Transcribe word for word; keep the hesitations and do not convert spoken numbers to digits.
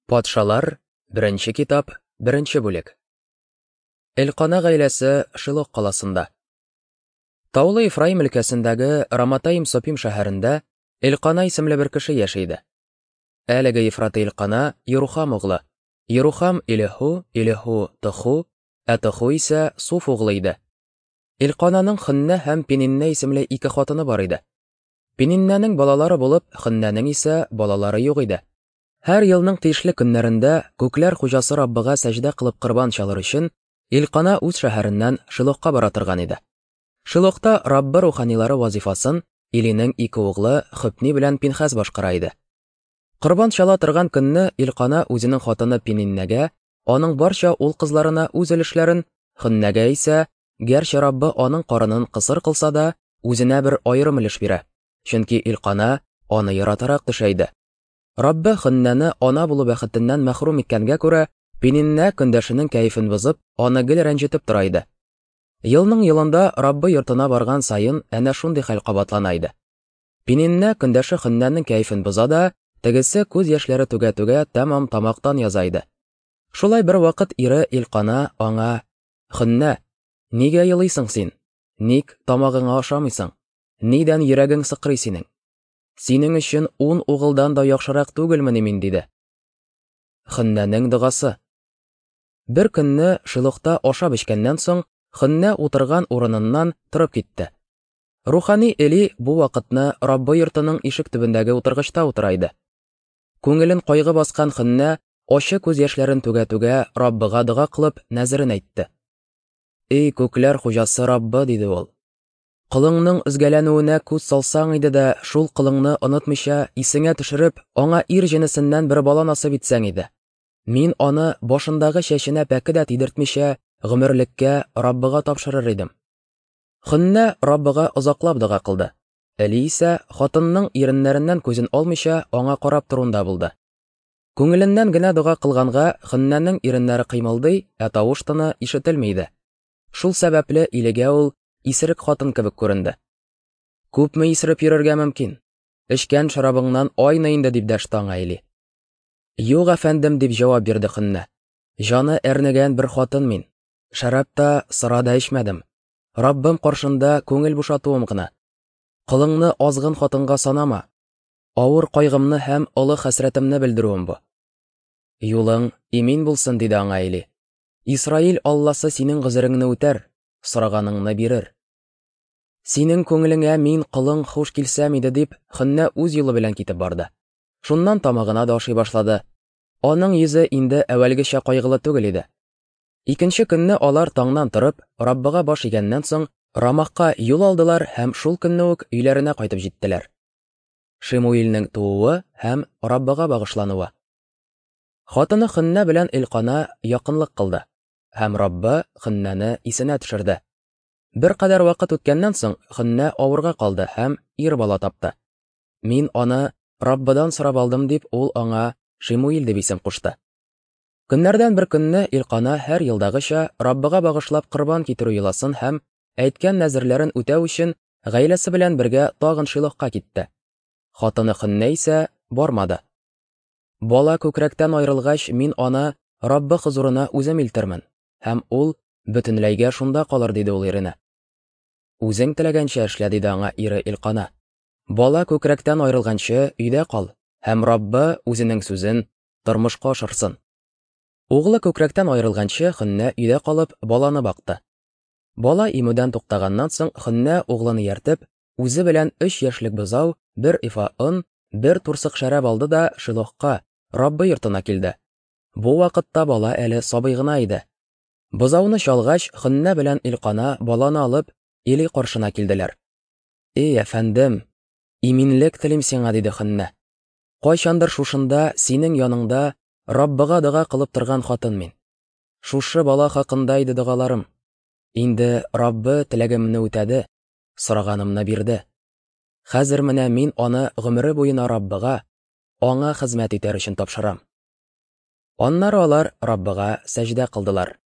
Патшалар, беренче китап, беренче бүлек. Элкана гаиләсе Шилох каласында. Таулы Ефраим өлкәсендәге Раматаим-Сопим шәһәрендә Элкана исемле бер кеше яши иде. Әлеге Ефраты Элкана Йерухам углы, Йерухам Илеху, Илеху Тоху, ә Тоху исә Суф углы иде. Элкананың Хөннә һәм Пениннә исемле ике хатыны бар иде. Пениннәнең балалары булып, Хөннәнең исә балалары юк иде. Һәр елның тиешле көннәрендә күкләр хуҗасы Раббыга сәҗдә кылып корбан чалыр өчен Элкана үз шәһәреннән Шилохка бара торган иде. Шилохта Раббы руханилары вазифасын Илинең ике углы Хөпни белән Пинхас башкара иде. Корбан чала торган көнне Элкана үзенең хатыны Пениннәгә, аның барча ул кызларына үз өлешләрен, Хөннәгә исә, гәрчә Раббы аның карынын кысыр кылса да, үзенә бер аерым өлеш бирә, чөнки Элкана аны яратарак төшә иде. Раббы Хөннәне ана булу бәхетеннән мәхрүм иткәнгә күрә, Пениннә көндәшенең кәефен бозып, аны гел рәнҗетеп тора иде. Елның елында Раббы йортына барган саен әнә шундый хәл кабатлана иде. Пениннә көндәше Хөннәнең кәефен боза да, тегесе күз яшьләре түгә-түгә тәмам тамактан яза иде. Шулай бер вакыт ире Элкана аңа: "Хөннә, нигә елыйсың син? Ник тамагыңа ашамыйсың? Нидән йөрәгең сыкрый синең? Синең өчен ун угылдан да яхшырак түгелмени мин?" диде. Хөннәнең догасы. Бер көнне Шилохта ашап эчкәннән соң Хөннә утырган урыныннан торып китте. Рухани Эли бу вакытны Раббы йортының ишек төбендәге утыргычта утыра иде. Күңелен кайгы баскан Хөннә ачы күз яшьләрен түгә-түгә Раббыга дога кылып нәзерен әйтте. "Эй күкләр хуҗасы Раббы", диде ул. "Колыңның өзгәләнүенә күз салсаң иде дә, шул колыңны онытмыйча исеңә төшереп, аңа ир җенесеннән бер бала насыйп итсәң иде. Мин аны башындагы чәченә пәке дә тидертмичә гомерлеккә Раббыга тапшырыр идем." Хөннә Раббыга озаклап дога кылды. Эли исә хатынның иреннәреннән күзен алмыйча аңа карап торуында булды. Күңеленнән генә дога кылганга Хөннәнең иреннәре кыймылдый, ә тавыш тыны ишетелми иде. Шул сәбәпле Илигә ул исерек хатын кебек күренде. "Күпме исереп йөрергә мөмкин? Эчкән шарабыңнан айны инде", дип дәште аңа Эли. "Юк, әфәндем", дип җавап бирде Хөннә. "Җаны әрнегән бер хатын мин. Шәраб та, сыра да эчмәдем. Раббым каршында күңел бушатуым гына. Колыңны азгын хатынга санама. Авыр кайгымны һәм олы хәсрәтемне белдерүем бу." "Юлың имин булсын", диде аңа Эли. "Исраил Алласы синең гозереңне үтәр, сораганыңны бирер. Синең күңелеңә мин колың хуш килсәм иде", дип Хөннә үз юлы белән китеп барды. Шуннан тамагына да ашый башлады. Аның йөзе инде әүвәлгечә кайгылы түгел иде. Икенче көнне алар таңнан торып, Раббыга баш игәннән соң Рамахка юл алдылар һәм шул көнне үк өйләренә кайтып җиттеләр. Шимуилнең тууы һәм Раббыга багышлануы. Хатыны Хөннә белән Элкана якынлык кылды, һәм Раббы Хөннәне исенә төшерде. Беркадәр вакыт үткәннән соң Хөннә авырга калды һәм ир бала тапты. "Мин аны Раббыдан сорап алдым", дип ул аңа Шимуил дип исем кушты. Көннәрдән бер көнне Элкана һәр елдагыча Раббыга багышлап корбан китерү йоласын һәм әйткән нәзерләрен үтәү өчен гаиләсе белән бергә тагын Шилохка китте. Хатыны Хөннә исә бармады. "Бала күкрәктән аерылгач, мин аны Раббы хозурына үзем илтермен, һәм ул бөтенләйгә шунда калыр", диде ул иренә. "Үзең теләгәнчә эшлә", диде аңа ире Элкана. "Бала күкрәктән аерылганчы өйдә кал, һәм Раббы үзенең сүзен тормышка ашырсын." Углы күкрәктән аерылганчы Хөннә өйдә калып баланы бакты. Бала имүдән туктаганнан соң Хөннә углын ияртеп, үзе белән өч яшьлек бозау, бер ифа он, бер турсык шәраб алды да Шилохка, Раббы йортына килде. Бу вакытта бала әле сабый гына иде. Бозауны чалгач, Хөннә белән Элкана баланы алып, Эли каршына килделәр. "Эй, әфәндем, иминлек телим сиңа", диде Хөннә. "Кайчандыр шушында синең яныңда Раббыга дога кылып торган хатын мин. Шушы бала хакында иде догаларым. Инде Раббы теләгемне үтәде, сораганымны бирде. Хәзер менә мин аны гомере буена Раббыга, аңа хезмәт итәр өчен тапшырам." Аннары алар Раббыга сәҗдә кылдылар.